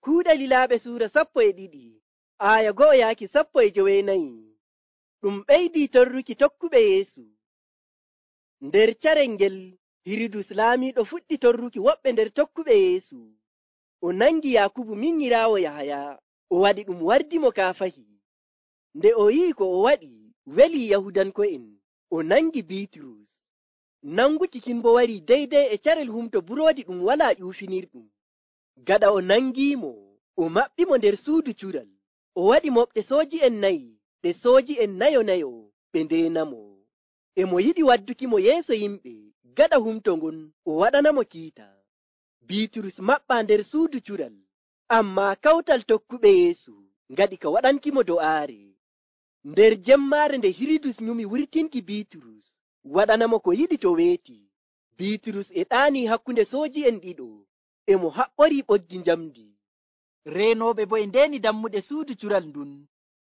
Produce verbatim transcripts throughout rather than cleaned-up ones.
Kuuɗe Lilaaɓe suura sappo e ɗiɗi aya go'o yaaki sappo e jowenayi. Ɗum ɓeydii torruki tokkuɓe Yeesu. Nder carel ngel Hiridus laamiiɗo fuɗɗi torruki woɓɓe nder tokkuɓe Yeesu. O nangi Yaakubu minyiraawo Yahaya, o waɗi ɗum wardimo kaafahi. Nde o yi'i ko o waɗi welii Yahudanko'en, o nangi Biiturus. Nanguki kin bo warii deydey e carel humto buroodi ɗum walaa ƴuufinirɗum. Gaɗa o nangiimo, o maɓɓimo nder suudu cural. O waɗi moɓɗe sooji'en nayi ɗe sooji'en nayo-nayo ɓe ndeenamo. E mo yiɗi waddukimo yeeso yimɓe gaɗa humto ngon o waɗanamo kiita. Biiturus maɓɓaa nder suudu cural, ammaa kawtal tokkuɓe Yeesu ngaɗi ka waɗankimo do'aare. Nder jemmaare nde Hiridus nyumi wurtinki Biiturus waɗanamo ko yiɗi to weeti, Biiturus e ɗaanii hakkunde sooji'en ɗiɗo, e mo haɓɓorii ɓoggi njamndi. Reenooɓe bo e ndeeni dammuɗe suudu cural ndun.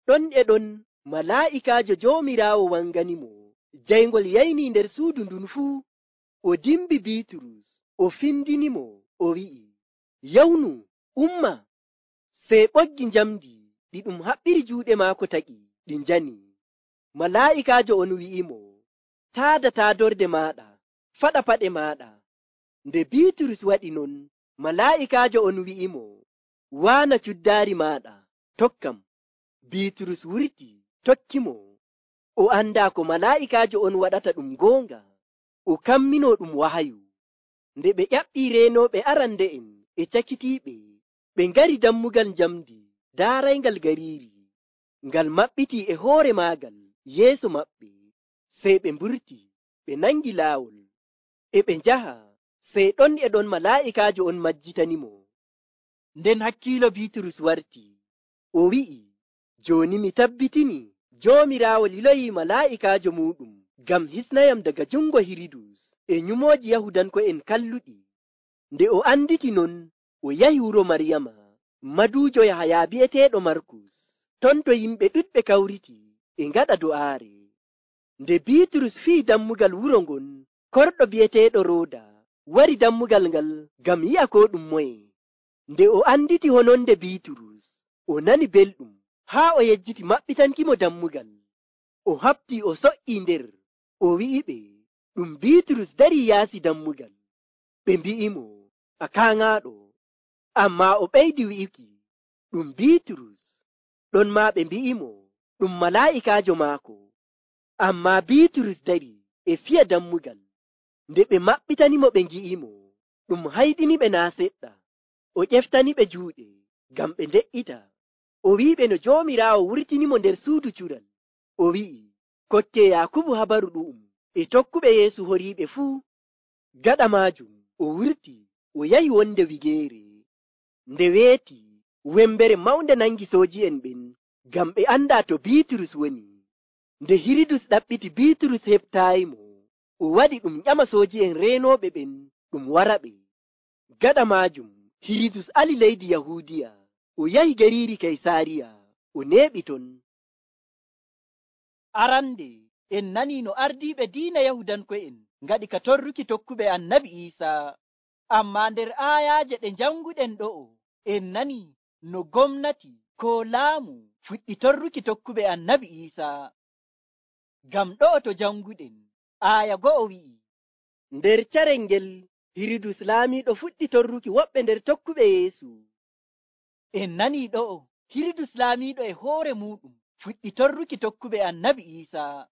Ɗon e ɗon malaa'ikaajo Joomiraawo wanganimo. Jayngol yaynii nder suudu ndun fuu. O dimbi Biiturus, o findinimo, o wi'i, “Yawnu, umma!” Sey ɓoggi njamndi ɗi ɗum haɓɓiri juuɗe maako taƴi, ɗi njani. Malaa'ikaajo on wi'imo, “Taada taadorde maaɗa, faɗa paɗe maaɗa.” Nde Biiturus waɗi non, malaa'ikaajo on wi'imo, “Waana cuddaari maaɗa, tokkam.” Biiturus wurti, tokkimo. O andaa ko malaa'ikaajo on waɗata ɗum goonga. O kamminoo ɗum wahayu. Nde ɓe ƴaɓɓii reenooɓe arande'en e cakitiiɓe, ɓe ngari dammugal njamndi daarayngal gariiri, ngal maɓɓitii e hoore maagal yeeso maɓɓe. Sey ɓe mburti, ɓe nangi laawol, e ɓe njaha. Sey ɗon e ɗon malaa'ikaajo on majjitanimo. Nden hakkiilo Biiturus warti. O wi'i, “Jooni mi tabbitini Joomiraawo liloyii malaa'ikaajo muuɗum ngam hisnayam daga jungo Hiridus e nyumooji Yahudanko'en kalluɗi.” Nde o anditi non, o yahi wuro Maryama, maduujo Yahaya bi'eteeɗo Markus. Ton to yimɓe ɗuɗɓe kawriti e ngaɗa do'aare. Nde Biiturus fii dammugal wuro ngon, korɗo bi'eteeɗo Rooda wari dammugal ngal ngam yi'a ko ɗum moye. Nde o anditi hononde Biiturus, o nani belɗum haa o yejjiti maɓɓitankimo dammugal. O haɓtii o so'ii nder, o wi'iɓe ɗum Biiturus darii yaasi dammugal. Ɓe mbi'imo, “A kaaŋaaɗo.” Ammaa o ɓeydi wi'uki, “Ɗum Biiturus.” Ɗon maa ɓe mbi'imo, “Ɗum malaa'ikaajo maako.” Ammaa Biiturus dari e fiya dammugal. Nde ɓe maɓɓitanimo ɓe ngi'imo, ɗum hayɗiniɓe naa seɗɗa. O ƴeftaniɓe juuɗe ngam ɓe nde'ita. O wi'iɓe no Joomiraawo wurtinimo nder suudu cural. O wi'i, “Kokkee Yaakubu habaru ɗu'um e tokkuɓe Yeesu horiiɓe fuu.” Gaɗa maajum o wurti, o yahi wonde wigeere. Nde weeti, wembere mawnde nangi sooji'en ɓen ngam ɓe andaa to Biiturus woni. Nde Hiridus ɗaɓɓiti Biiturus heɓtaayimo, o waɗi ɗum ƴama sooji'en reenooɓe ɓen ɗum waraɓe. Gaɗa maajum Hiridus ali leydi Yahuudiya, o yahi gariiri Kaysaariya, o neeɓi ton. Arande en nanii no ardiiɓe diina Yahudanko'en ngaɗi ka torruki tokkuɓe Annabi Iisaa. Ammaa nder aayaaje ɗe njanguɗen ɗo'o, en nanii no gomnati koo laamu fuɗɗi torruki tokkuɓe Annabi Iisaa. Ngam ɗo'o to janguɗen, aaya go'o wi'i, nder carel ngel Hiridus laamiiɗo fuɗɗi torruki woɓɓe nder tokkuɓe Yeesu. En nanii ɗo'o Hiridus laamiiɗo e hoore muuɗum fuɗɗi torruki tokkuɓe Annabi Iisaa.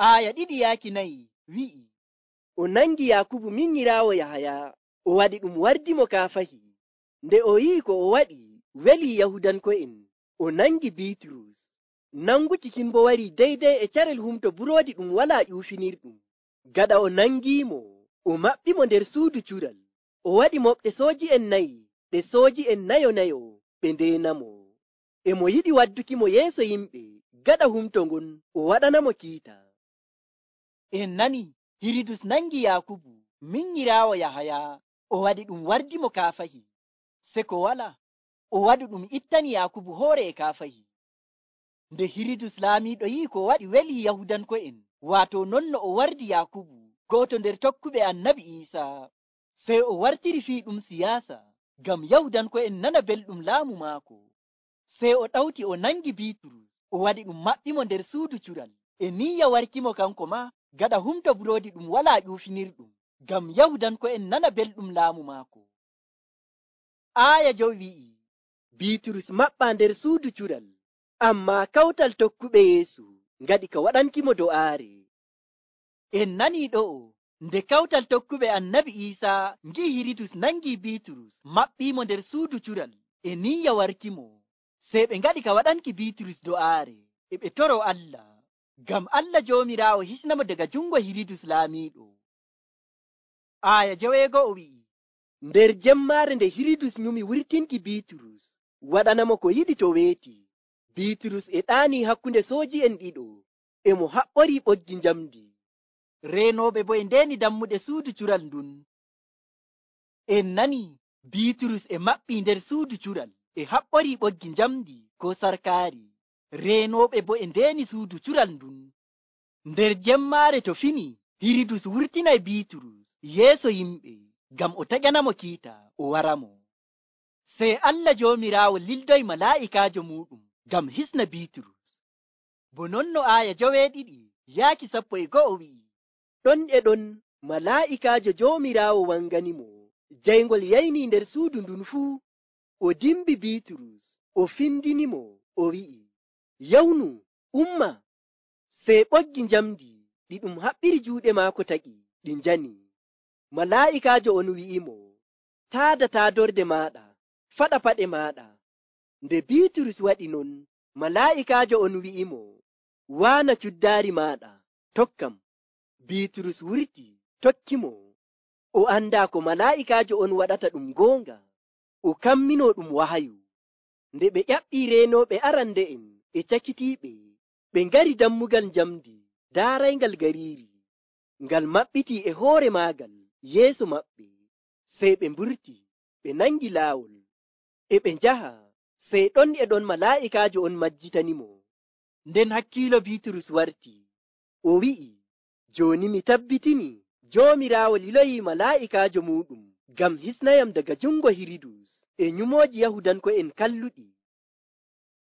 Aaya ɗiɗi yaaki nayi wi'i, o nangi Yaakubu minyiraawo Yahaya, o waɗi ɗum wardimo kaafahi. Nde o yi'i ko o waɗi welii Yahudanko'en, o nangi Biiturus. Nanguki kin bo warii deydey e carel humto buroodi ɗum walaa ƴuufinirɗum. Gaɗa o nangiimo, o maɓɓimo nder suudu cural. O waɗi moɓɗe sooji'en nayi ɗe sooji'en nayo-nayo ɓe ndeenamo. E mo yiɗi waddukimo yeeso yimɓe gaɗa humto ngon o waɗanamo kiita. En nani Hiridus nangi Yaakubu minyiraawo Yahaya, o waɗi ɗum wardimo kaafahi. Se ko wala, o waɗi ɗum ittani Yaakubu hoore e kaafahi. Nde Hiridus laamiiɗo yi'i ko waɗi welii Yahudanko'en, waato non no o wardi Yaakubu go'oto nder tokkuɓe Annabi Iisaa, sey o wartiri fii ɗum siyaasa. ngam Yahudanko'en nana belɗum laamu maako. Sey o ɗawti o nangi Biiturus, o waɗi ɗum maɓɓimo nder suudu cural, e niyya warkimo kanko ma gaɗa humto buroodi ɗum walaa ƴuufinirɗum, ngam Yahudanko'en nana belɗum laamu maako. Aaya jowi wi'i, Biiturus maɓɓaa nder suudu cural, ammaa kawtal tokkuɓe Yeesu ngaɗi ka waɗankimo do'aare. En nanii ɗo'o, nde kawtal tokkuɓe Annabi Iisaa ngi'i Hirudus nangii Biiturus maɓɓiimo nder suudu cural e niyya warkimo, sey ɓe ngaɗi ka waɗanki Biiturus do'aare, e ɓe toroo Allah, ngam Allah Joomiraawo hisnamo daga jungo Hirudus laamiiɗo. Aaya joweego'o wi'i, nder jemmaare nde Hirudus nyumi wurtinki Biiturus, waɗanamo ko yiɗi to weeti, Biiturus e ɗaanii hakkunde sooji'en ɗiɗo, e mo haɓɓorii ɓoggi njamndi. Reenooɓe bo e ndeeni dammuɗe suudu cural ndun. En nanii Biiturus e maɓɓii nder suudu cural e haɓɓorii ɓoggi njamndi ko sarkaari. Reenooɓe bo e ndeeni suudu cural ndun. Nder jemmaare to fini, Hirudus wurtinay Biiturus yeeso yimɓe ngam o taƴanamo kiita o waramo. Sey Allah Joomiraawo lildoy malaa'ikaajo muuɗum ngam hisna Biiturus. Bo non no aaya joweeɗiɗi yaaki sappo e go'o wi'i, ɗon e ɗon malaa'ikaajo Joomiraawo wanganimo jayngol yaynii nder suudu ndun fuu, o dimbi Biiturus, o findinimo, o wi'i, yawnu, umma. Sey ɓoggi njamndi ɗi ɗum haɓɓiri juuɗe maako tagi, ɗi njani. Malaa'ikaajo on wi'imo, taada taadorde maaɗa, faɗa paɗe maaɗa. Nde Biiturus waɗi non, malaa'ikaajo on wi'imo, waana cuddaari maaɗa, tokkam. Biiturus wurti, tokkimo. O andaa ko malaa'ikaajo on waɗata ɗum goonga, o kamminoo ɗum wahayu. Nde ɓe ƴaɓɓii reenooɓe arande'en e cakitiiɓe, ɓe ngari dammugal njamndi daarayngal gariiri, ngal maɓɓitii e hoore maagal yeeso maɓɓe. Sey ɓe mburti, ɓe nangi laawol, e ɓe njaha, sey ɗon e ɗon malaa'ikaajo on majjitanimo. Nden hakkiilo Biiturus warti, o wi'i, jooni mi tabbitini Joomiraawo liloyii malaa'ikaajo muuɗum ngam hisnayam daga jungo Hirudus e nyumooji Yahudanko'en kalluɗi.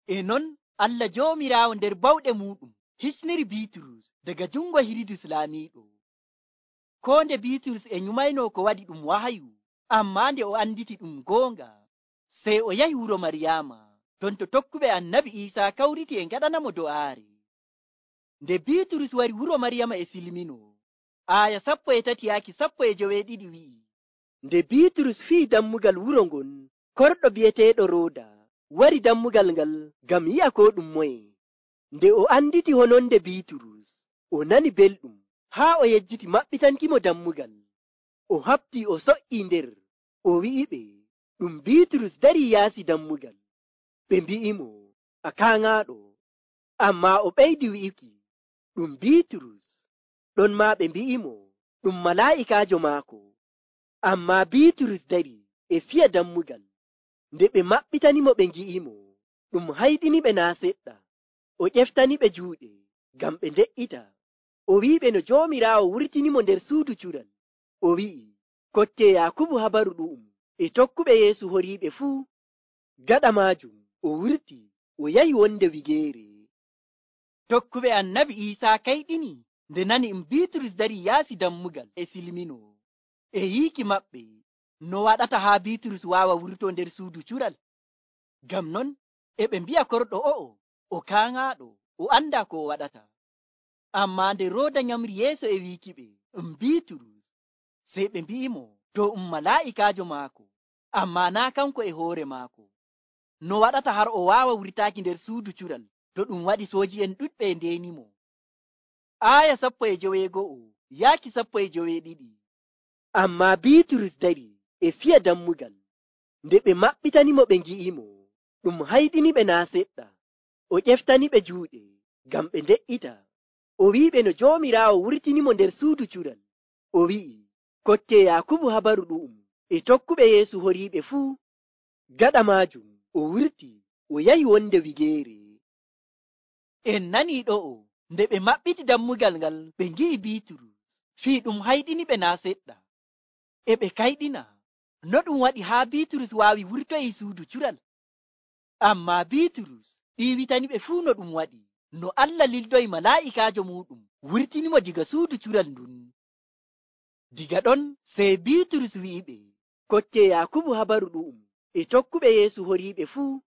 E non Allah Joomiraawo nder bawɗe muuɗum hisniri Biiturus daga jungo Hirudus laamiiɗo. Koo nde Biiturus e nyumaynoo ko waɗi ɗum wahayu, ammaa nde o anditi ɗum goonga, sey o yahi wuro Maryaama, ton to tokkuɓe Annabi Iisaa kawriti e ngaɗanamo do'aare. Nde Biiturus wari wuro Maryama e silmino, aaya sappo e tati yaaki sappo e joweeɗiɗi wi'i, nde Biiturus fii dammugal wuro ngon, korɗo bi'eteeɗo Rooda wari dammugal ngal ngam yi'a ko ɗum moye. Nde o anditi hononde Biiturus, o nani belɗum, haa o yejjiti maɓɓitankimo dammugal. O haɓtii o so'ii nder, o wi'iɓe, ɗum Biiturus darii yaasi dammugal. Ɓe mbi'imo, a kaaŋaaɗo. Ammaa o ɓeydi wi'uki, ɗum Biiturus. Ɗon maa ɓe mbi'imo, ɗum malaa'ikaajo maako. Ammaa Biiturus dari e fiya dammugal. Nde ɓe maɓɓitanimo ɓe ngi'imo, ɗum hayɗiniɓe naa seɗɗa. O ƴeftaniɓe juuɗe ngam ɓe nde'ita. O wi'iɓe no Joomiraawo wurtinimo nder suudu cural. O wi'i, kokke Yaakubu habaru ɗu'um e tokkuɓe Yeesu horiiɓe fuu. Gaɗa maajum o wurti, o yahi wonde wigeere. Tokkuɓe Annabi Iisaa kayɗini nde nani um Biiturus darii yaasi dammugal e silmino. E yiiki maɓɓe, no waɗata haa Biiturus waawa wurtoo nder suudu cural? Ngam non e ɓe mbi'a korɗo o'o, o kaaŋaaɗo, o andaa ko o waɗata. Ammaa nde Rooda nyamri yeeso e wiikiɓe um Biiturus, sey ɓe mbi'imo dow um malaa'ikaajo maako, ammaa naa kanko e hoore maako. No waɗata har o waawa wurtaaki nder suudu cural to ɗum waɗi sooji'en ɗuɗɓe e ndeenimo. Aaya sappo e joweego'o yaaki sappo e joweeɗiɗi. Ammaa Biiturus dari e fiya dammugal. Nde ɓe maɓɓitanimo ɓe ngi'imo, ɗum hayɗiniɓe naa seɗɗa. O ƴeftaniɓe juuɗe ngam ɓe nde'ita. O wi'iɓe no Joomiraawo wurtinimo nder suudu cural. O wi'i, kokke Yaakubu habaru ɗu'um e tokkuɓe Yeesu horiiɓe fuu. Gaɗa maajum o wurti, o yahi wonde wigeere. En nanii ɗo'o, nde ɓe maɓɓiti dammugal ngal ɓe ngi'i Biiturus, fii ɗum hayɗiniɓe naa seɗɗa. E ɓe kayɗina, no ɗum waɗi haa Biiturus waawi wurtoyi suudu cural? Ammaa Biiturus ɗiiwitani ɓe fuu no ɗum waɗi, no Allah lildoyi malaa'ikaajo muuɗum wurtinimo diga suudu cural ndun. Diga ɗon sey Biiturus wi'iɓe, kokke Yakubu habaru ɗu'um e tokkuɓe Yeesu horiiɓe fuu.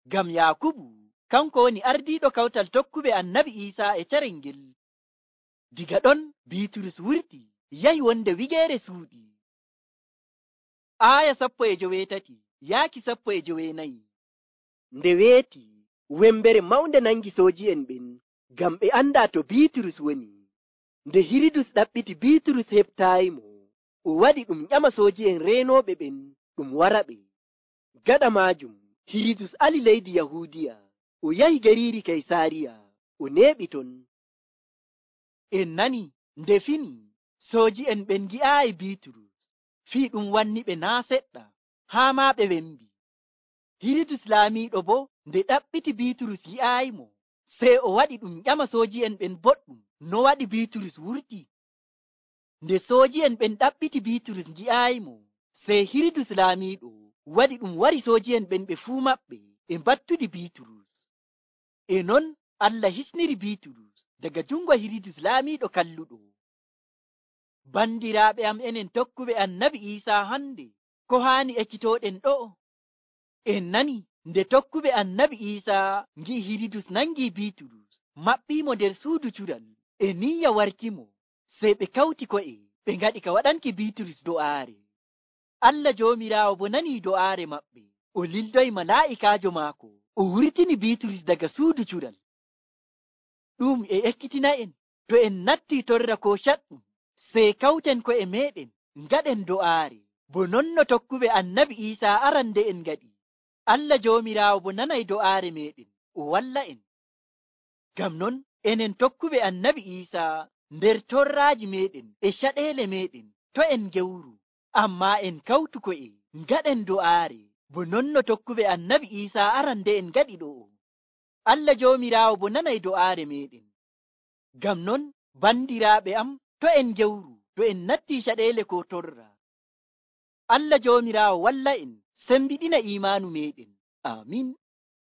Ngam Yakubu kanko woni ardiiɗo kawtal tokkuɓe Annabi Iisaa e carel ngel. Diga ɗon Biiturus wurti yahi wonde wigeere suuɗi. Aaya sappo e joweetati yaaki sappo e joweenayi. Nde weeti wembere mawnde nangi sooji'en ɓen ngam ɓe anda to Biiturus woni. Nde Hiridus ɗaɓɓiti Biiturus heɓtaayimo, o waɗi ɗum ƴama sooji'en reenooɓe ɓen ɗum wara ɓe. Gaɗa maajum Hiridus ali leydi Yahuudiya, o yahi gariiri Kaysaariya, o neeɓi ton. En nani nde fini sooji'en ɓen gi'aayi Biiturus, fii ɗum wanni ɓe naa seɗɗa, haa maa ɓe wembi. Hiridus laamiiɗo bo nde ɗaɓɓiti Biiturus yi'aayimo, sey o waɗi ɗum ƴama sooji'en ɓen boɗɗum no waɗi Biiturus wurti. Nde sooji'en ɓen ɗaɓɓiti Biiturus gi'aayimo, sey Hiridus laamiiɗo waɗi ɗum wari sooji'en ɓen ɓe fuu maɓɓe e mbattudi Biiturus. E non Allah hisniri Biiturus daga jungo Hiridus laamiiɗo kalluɗo. Bandiraaɓe am enen tokkuɓe Annabi Iisaa hande, ko haani ekkitooɗen ɗo'o? En nani nde tokkuɓe Annabi Iisaa ngi'i Hiridus nangi Biiturus, maɓɓiimo nder suudu cural e niyya warkimo, sey ɓe kawti ko'e ɓe ngaɗi ka waɗanki Biiturus do'aare. Allah Joomiraawo bo nanii do'aare maɓɓe, o lildoyi malaa'ikaajo maako, o wurtini Biiturus daga suudu cural. Ɗum e ekkitina'en, to en nattii torra koo caɗɗum, sey kawten ko'e meeɗen ngaɗen do'aare, bo non no tokkuɓe Annabi Iisaa arande en ngaɗi. Allah Joomiraawo bo nanay do'aare meeɗen, o walla en. Ngam non enen tokkuɓe Annabi Iisaa nder torraaji meeɗen e caɗeele meeɗen, to en gewru, ammaa en kawtu ko'e ngaɗen do'aare, bo non no tokkuɓe Annabi Iisaa arande en ngaɗi ɗo'o. Allah Joomiraawo bo nanay do'aare meeɗen. Ngam non bandiraaɓe am, to en gewru, to en nattii caɗeele koo torra. Allah Joomiraawo walla en sembiɗina iimaanu meeɗen. Aamin.